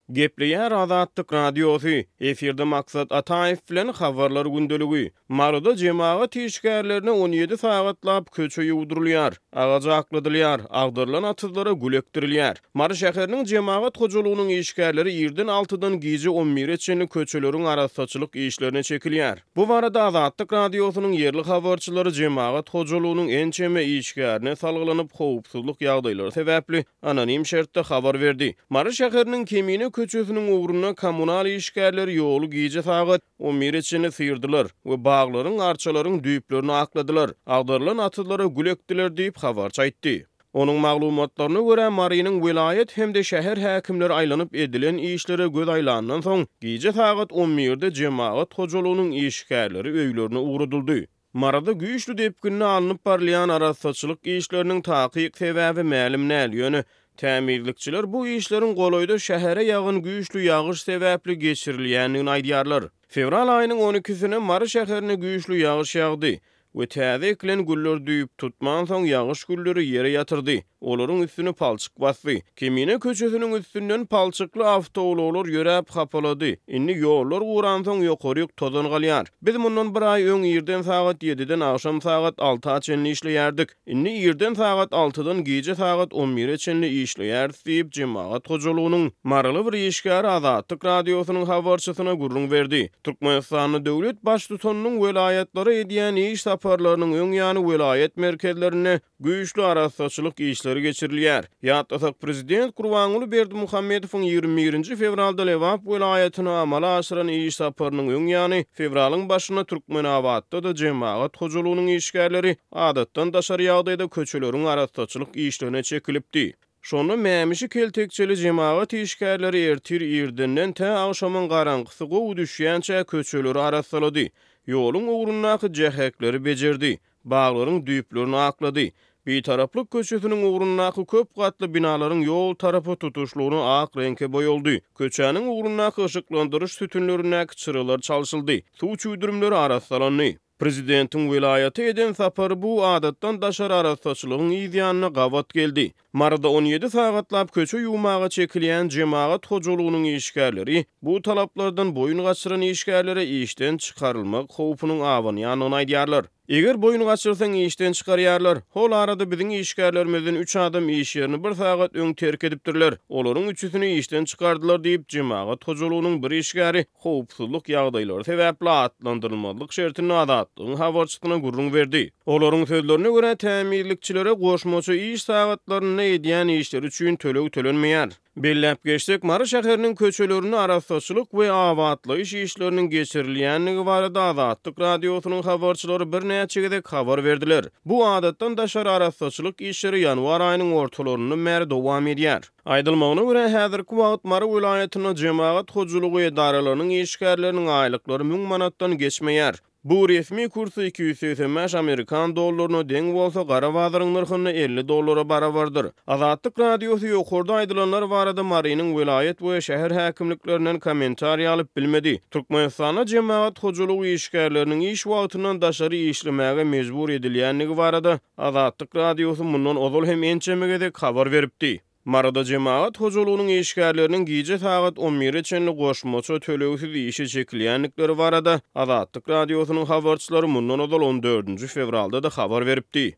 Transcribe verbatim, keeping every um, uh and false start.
Gepleýär Azatlyk Radiosy, efirde Maksat Ataýew bilen Habarlar gündeligi. Maryda jemagat işgärlerine on ýedi sagatlap köçe ýuwdurylýar, agaç akladylýar, agdarylan atyzlara gül ekdirilýär. Mary şäheriniň jemagat hojalygynyň işgärleri irden altydan gije on bire çenli köçeleriň arassaçylyk işlerine çekilýär. Bu barada Azatlyk Radiosynyň ýerli habarçylary jemagat hojalygynyň ençeme işgärine salgylanyp, howpsuzlyk ýagdaýlary sebäpli anonim şertde habar berdi. Mary şäheriniň Kemine köçesiniň ugrunda kommunal işgärleri ýoly gije sagat on bire çenli syrdylar we baglaryň, arçalaryň düýplerini akladylar, agdarylan atyzlara gül ekdiler diýip habarçy aýtdy. Onuň maglumatlaryna görä, Marynyň welaýat hem-de şäher häkimleri aýlanyp edilen işlere göz aýlandan soň, gije sagat on birde jemagat hojalygynyň işgärleri öýlerine ugradyldy. Maryda güýçli depginde alnyp barylýan arassaçylyk işleriniň takyk sebäbi mälim däl, ýöne tämizlikçiler bu işleriň golaýda şähere ýagan güýçli ýagyş sebäpli geçirilýändigini aýdýarlar. Fewral aýynyň on ikisine Mary şäherine güýçli ýagyş ýagdy we täze ekilen güller düýp tutman soň ýagyş gülleri ýere ýatyrdy. Olaryň üstüni palçyk basdy. Kemine köçesiniň üstünden palçykly awtoulaglar ýöräp hapalady. Indi ýollar guransoň ýokaryk tozan galýar. Biz mundan bir aý öň irden sagat ýediden agşam sagat alta çenli işleýärdik. Indi irden sagat altydan gije sagat on bire çenli işleýäris diýip, jemagat hojalygynyň maryly bir işgäri Azatlyk Radiosynyň habarçysyna gürrüň berdi. Türkmenistanda döwlet baştutanynyň welaýatlara edýän iş saparlarynyň öň ýany welaýat merkezlerinde güýçli arassaçylyk işleri geçirilýär. Ýatlasak, prezident Gurbanguly Berdimuhamedowyň ýigrimi birinji fewralda Lebap welaýatyna amala aşyran iş saparynyň öň ýany fewralyň başynda Türkmenabatda-da jemagat hojalygynyň işgärleri adatdan daşary ýagdaýda köçeleriň arassaçylyk işlerine çekilipdi. Şonda mämişi keltekçeli jemagat işgärleri ertir irdenden tä agşamyň garaňkysy gowy düşýänçä köçeleri arassalady. Ýoluň ugrundaky jähekleri bejerdi, baglaryň düýplerini aklady. Bitaraplyk köçesiniň ugrundaky köp gatly binalaryň ýol tarapy tutuşlygyna ak reňke boýaldy. Köçäniň ugrundaky yşyklandyryş sütünlerindäki çyralar çalşyldy. Suw çüwdürimleri arassalandy. Prezidentiň welaýata eden sapary bu adatdan daşary arassaçylygyň yz ýanyna gabat geldi. Maryda on ýedi sagatlap köçe ýuwmaga çekilýän jemagat hojalygynyň işgärleri bu talaplardan boýun gaçyran işgärlere işden çykarylmak howpunyň abanýandygyny aýdýarlar. Eger boýun gaçyrsaň işden çykarýarlar. Hol arada biziň işgärlerimizden üç adam iş ýerini bir sagat öň terk edipdirler. Olaryň üçüsini işden çykardylar diýip, jemagat hojalygynyň bir işgäri howpsuzlyk ýagdaýlary sebäpli atlandyrylmazlyk şertinde Azatlygyň habarçysyna gürrüň berdi. Olaryň sözlerine görä, tämizlikçilere goşmaça iş sagatlarynda edýän işleri üçin töleg tölenmeýär. Belläp geçsek, Mary şäheriniň köçelerinde arassaçylyk we abatlaýyş işleriniň geçirilýändigi barada Azatlyk Radiosynyň habarçylary birnäçe gezek habar berdiler. Bu adatdan daşary arassaçylyk işleri ýanwar aýynyň ortalaryndan bäri dowam edýär. Aýdylmagyna görä, häzirki wagt Mary welaýatynda jemagat hojalygy edaralarynyň işgärleriniň aýlyklary müň manatdan geçmeýär. Bu resmi kursy iki ýüz segsen bäş amerikan dollaryna deň bolsa, gara bazaryň nyrhynda elli dollara barabardyr. Azatlyk Radiosy ýokarda aýdylanlar barada Marynyň welaýat we şäher häkimliklerinden kommentariý alyp bilmedi. Türkmenistanda jemagat hojalygy işgärleriniň iş wagtyndan daşary işlemäge mejbur edilýändigi barada Azatlyk Radiosy mundan ozal hem ençeme gezek habar beripdi. Maryda jemagat hojalygynyň işgärleriniň gije sagat on bire çenli goşmaça tölegsiz işe çekilýändikleri barada Azatlyk Radiosynyň habarçylary mundan ozal on dördünji fewralda-da habar beripdi.